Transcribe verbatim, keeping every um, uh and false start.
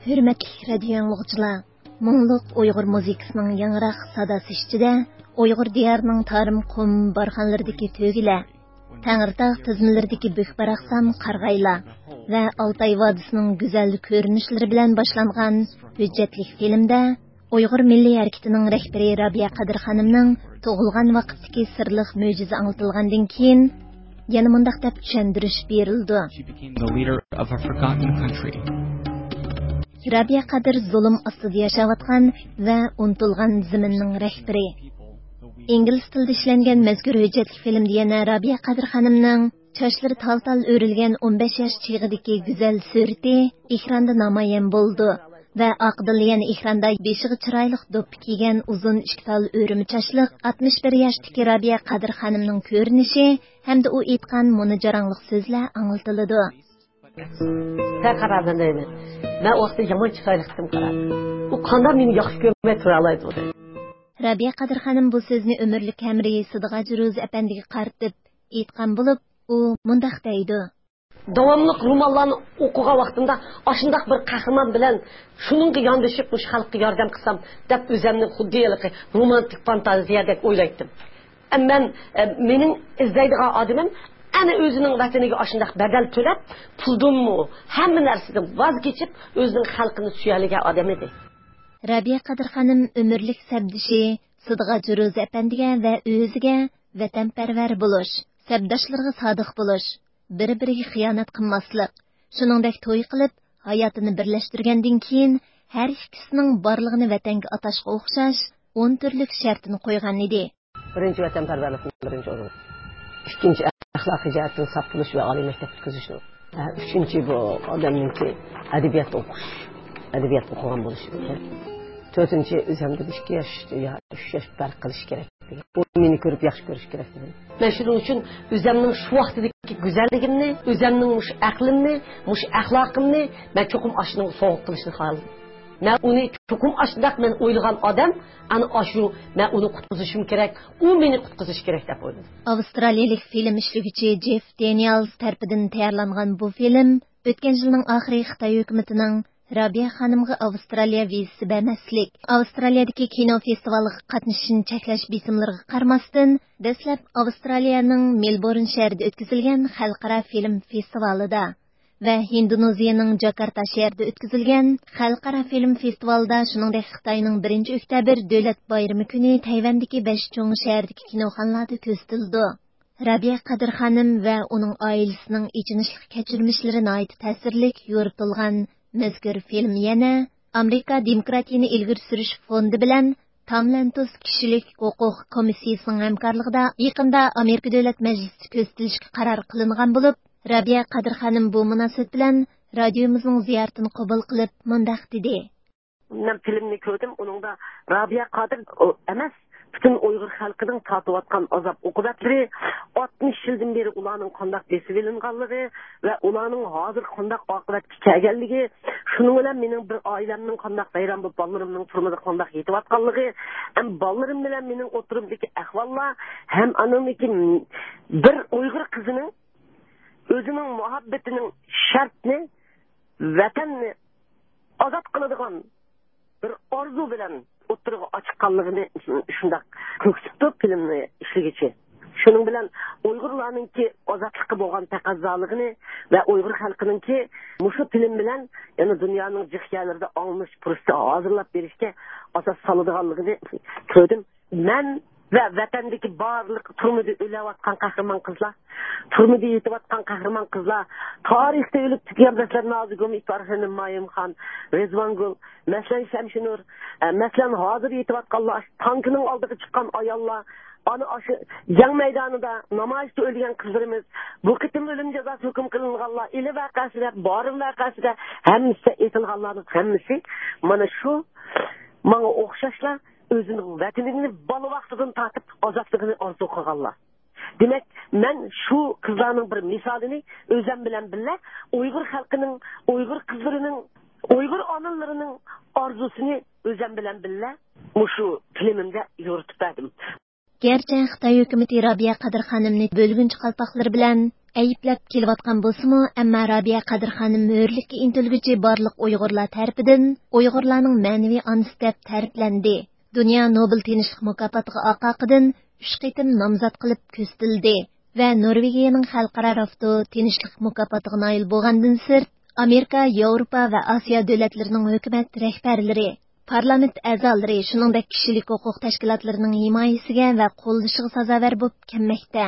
ھۆرمەتلىك رادىيو ئاڭلىغۇچىلار، مۇڭلۇق ئۇيغۇر مۇزىكىسىنىڭ ياڭراق ساداسى ئىچىدە ئۇيغۇر دىيارىنىڭ تارىم قۇم بارخانلىرىدىكى تۆگىلەر، تەڭرىتاغ تىزمىلىرىدىكى بۈك-باراقسان قارىغايلار ۋە ئالتاي ۋادىسىنىڭ گۈزەل كۆرۈنۈشلىرى بىلەن باشلانغان ھۆججەتلىك فىلىمدە ئۇيغۇر مىللىي ھەرىكىتىنىڭ رەھبىرى رابىيە قادىر خانىمنىڭ تۇغۇلغان ۋاقىتتىكى سىرلىق مۆجىزە ئاڭلىتىلغاندىن كېيىن، يەنە مۇنداق دەپ چۈشەندۈرۈش بېرىلىدۇ. She became the leader of a forgotten country. رابىيە قادىر زۇلۇم ئاستىدا ياشاۋاتقان ۋە ئۇنتۇلغان زېمىننىڭ رەھبىرى. ئىنگلىز تىلىدا ئىشلەنگەن مەزكۇر ھۆججەتلىك فىلىمدە يەنە رابىيە قادىر خانىمنىڭ چاچلىرى تال-تال ئۆرۈلگەن ئون بەش ياش چېغىدىكى گۈزەل سۈرىتى ئېكراندا نامايان بولىدۇ ۋە ئارقىدىنلا يەنە ئېكراندا بېشىغا چىرايلىق دوپپا كىيگەن ئۇزۇن ئىككى تال ئۆرۈمە چاچلىق ئاتمىش بىر ياشتىكى رابىيە قادىر خانىمنىڭ كۆرۈنۈشى ھەمدە ئۇ ئېيتقان مۇنۇ جاراڭلىق سۆزلەر ئاڭلىتىلىدۇ. سەن قارا، مەن دەيمەن. مەن ئۇ ۋاقىتتا يامان چىرايلىقتىم، قارا. ئۇ قانداق مېنى ياخشى كۆرمەي تۇرالايدۇ دەيمەن. رابىيە قادىر خانىم بۇ سۆزنى ئۆمۈرلۈك ھەمراھى سىدىغاج روزى ئەپەندىگە قارىتىپ ئېيتقان بولۇپ، ئۇ مۇنداق دەيدۇ. داۋاملىق رومانلارنى ئوقۇغان ۋاقتىمدا ئاشۇنداق بىر قەھرىمان بىلەن شۇنىڭغا ياندىشىپ مۇشۇ خەلققە ياردەم قىلسام دەپ ئۆزۈمنى خۇددى ھېلىقى رومانتىك فانتازىيەدەك ئويلايتتىم. ئە، مەن، ئە، مېنىڭ ئىزدەيدىغان ئادىمىم ئەنە ئۆزىنىڭ ۋەتىنىگە ئاشۇنداق بەدەل تۆلەپ، پۇلدىنمۇ، ھەممە نەرسىدىن ۋاز كېچىپ، ئۆزىنىڭ خەلقىنى سۆيەلىگەن ئادەم ئىدى. رابىيە قادىر خانىم ئۆمۈرلۈك سەپدىشى سىدىغاج روزى ئەپەندىگە ۋە ئۆزىگە ۋەتەنپەرۋەر بولۇش، سەپداشلىرىغا سادىق بولۇش، بىر-بىرىگە خىيانەت قىلماسلىق، شۇنىڭدەك توي قىلىپ، ھاياتىنى بىرلەشتۈرگەندىن كېيىن، ھەر ئىككىسىنىڭ بارلىقىنى ۋەتەنگە ئاتاشقا ئوخشاش ئون تۈرلۈك شەرتنى قويغان ئىدى. بىرىنچى، ۋەتەنپەرۋەرلىكنىڭ بىرىنچى ئورۇنى. ئىككىنچى، ئەخلاقىي جەھەتتىن ساپ بولۇش ۋە ئالىي مەكتەپ پۈتكۈزۈشنىڭ. ھە، ئۈچىنچى، بۇ ئادەمنىڭكى ئەدەبىيات ئوقۇش، ئەدەبىيات ئوقۇغان بولۇشى كېرەك. تۆتىنچى، ئۆزۈمدىن ئىككى ياش يا ئۈچ ياش پەرق قىلىش كېرەك. ئۇ مېنى كۆرۈپ ياخشى كۆرۈش كېرەك دېدىم. مەن شۇنىڭ ئۈچۈن ئۆزۈمنىڭ شۇ ۋاقتىدىكى گۈزەللىكىمنى، ئۆزۈمنىڭ مۇشۇ ئەقلىمنى، مۇشۇ ئەخلاقىمنى مەن چوقۇم ئاشۇنىڭغا سوۋغا قىلىشنى خالىدىم. مەن ئۇنى چوقۇم ئاشۇنداق مەن ئويلىغان ئادەم، ئەنە ئاشۇ، مەن ئۇنى قۇتقۇزۇشۇم كېرەك، ئۇ مېنى قۇتقۇزۇشى كېرەك دەپ ئويلىدىم. ئاۋسترالىيەلىك فىلىم ئىشلىگۈچى جېف دېنىيالز تەرىپىدىن تەييارلانغان بۇ فىلىم ئۆتكەن يىلنىڭ ئاخىرى خىتاي ھۆكۈمىتىنىڭ رابىيە خانىمغا ئاۋسترالىيە ۋىزىسى بەرمەسلىك، ئاۋسترالىيەدىكى كىنو فېستىۋالىغا قاتنىشىشىنى چەكلەش بېسىملىرىغا قارىماستىن، دەسلەپ ئاۋسترالىيەنىڭ مېلبورن شەھىرىدە ئۆتكۈزۈلگەن خەلقئارا فىلىم فېستىۋالىدا ۋە ھىندونېزىيەنىڭ جاكارتا شەھىرىدە ئۆتكۈزۈلگەن خەلقئارا فىلىم فېستىۋالىدا، شۇنىڭدەك خىتاينىڭ بىرىنچى ئۆكتەبىر دۆلەت بايرىمى كۈنى تەيۋەندىكى بەش چوڭ شەھەردىكى كىنوخانىلاردا كۆرسىتىلىدۇ. رابىيە قادىر خانىم ۋە ئۇنىڭ ئائىلىسىنىڭ ئېچىنىشلىق كەچۈرمىشلىرى ناھايىتى تەسىرلىك يورۇتۇلغان مەزكۇر فىلىم يەنە ئامېرىكا دېموكراتىيىنى ئىلگىرى سۈرۈش فوندى بىلەن تام لەنتوس كىشىلىك ھوقۇق كومىسسىيىسىنىڭ ھەمكارلىقىدا يېقىندا ئامېرىكا دۆلەت مەجلىسىدە كۆرسىتىلىشكە قارار قىلىنغان بولۇپ، رابىيە قادىر خانىم بۇ مۇناسىۋەت بىلەن رادىيومىزنىڭ زىيارىتىنى قوبۇل قىلىپ مۇنداق دېدى. مەن فىلىمنى كۆردۈم، ئۇنىڭدا رابىيە قادىر ئۇ ئەمەس، پۈتۈن ئۇيغۇر خەلقىنىڭ تارتىۋاتقان ئازاب-ئوقۇبەتلىرى، ئاتمىش يىلدىن بېرى ئۇلارنىڭ قانداق بېسىۋېلىنغانلىقى ۋە ئۇلارنىڭ ھازىر قانداق ئاقىۋەتكە كەلگەنلىكى، شۇنىڭ بىلەن مېنىڭ بىر ئائىلەمنىڭ قانداق ۋەيران بولۇپ، بالىلىرىمنىڭ تۈرمىدە قانداق يېتىۋاتقانلىقى، ھەم بالىلىرىم بىلەن مېنىڭ ئوتتۇرىمدىكى ئەھۋاللار، ھەم ئانىڭدىكى بىر ئۇيغۇر قىزىنىڭ ئۆزىنىڭ مۇھەببىتىنىڭ شەرتنى، ۋەتەننى ئازاد قىلىدىغان بىر ئارزۇ بىلەن ئوتتۇرىغا ئاچىققانلىقىنى شۇنداق كۆرسىتىپتۇ فىلىمنى ئىشلىگۈچى. شۇنىڭ بىلەن ئۇيغۇرلارنىڭكى ئازادلىققا بولغان تەقەززالىقىنى ۋە ئۇيغۇر خەلقىنىڭكى مۇشۇ فىلىم بىلەن يەنە دۇنيانىڭ جىق يەرلىرىدە ئاڭلىنىش پۇرسىتى ھازىرلاپ بېرىشكە ئاساس سالىدىغانلىقىنى كۆردۈم. مەن ۋە ۋەتەندىكى بارلىق تۈرمىدە ئۆلۈۋاتقان قەھرىمان قىزلار، تۈرمىدە يېتىۋاتقان قەھرىمان قىزلار، تارىختا ئۆلۈپ كەتكەن، مەسىلەن، نازىگۈل، ئىپارخېنىم، مايىمخان، رىزۋانگۈل، مەسىلەن، شەمشىنۇر، ئە، مەسىلەن، ھازىر يېتىۋاتقانلار، تانكىنىڭ ئالدىغا چىققان ئاياللار، ئانا ئاشۇ جەڭ مەيدانىدا، نامايىشتا ئۆلگەن قىزلىرىمىز، بۇ قېتىم ئۆلۈم جازاسى ھۆكۈم قىلىنغانلار، ئىلى ۋەقەسىدە، بارىن ۋەقەسىدە، ھەممىسى ئېتىلغانلارنىڭ ھەممىسى مانا شۇ ماڭا ئوخشاشلا ئۆزىنىڭ ۋەتىنىنى بالا ۋاقتىدىن تارتىپ ئازادلىقىنى ئارزۇ قىلغانلار. دېمەك، مەن شۇ قىزلارنىڭ بىر مىسالىنى ئۆزۈم بىلەن بىللە ئۇيغۇر خەلقىنىڭ، ئۇيغۇر قىزلىرىنىڭ، ئۇيغۇر ئانىلىرىنىڭ ئارزۇسىنى ئۆزۈم بىلەن بىللە مۇشۇ فىلىمىمدە يورۇتۇپ بەردىم. گەرچە خىتاي ھۆكۈمىتى رابىيە قادىر خانىمنى بۆلگۈنچى قالپاقلىرى بىلەن ئەيىبلەپ كېلىۋاتقان بولسىمۇ، ئەمما رابىيە قادىر خانىم ھۆرلۈككە ئىنتىلگۈچى بارلىق ئۇيغۇرلار تەرىپىدىن ئۇيغۇرلارنىڭ مەنىۋى ئانىسى دەپ تەرىپلەندى. دۇنيا نوبېل تىنچلىق مۇكاپاتىغا ئارقا ئارقىدىن ئۈچ قېتىم نامزات قىلىپ كۆرسىتىلدى ۋە نورۋېگىيەنىڭ خەلقئارا رافتو تىنچلىق مۇكاپاتىغا نايىل بولغاندىن سىرت، ئامېرىكا، ياۋروپا ۋە ئاسىيا دۆلەتلىرىنىڭ ھۆكۈمەت رەھبەرلىرى، پارلامېنت ئەزالىرى، شۇنىڭدەك كىشىلىك ھوقۇق تەشكىلاتلىرىنىڭ ھىمايىسىگە ۋە قوللىشىغا سازاۋەر بولۇپ كەلمەكتە.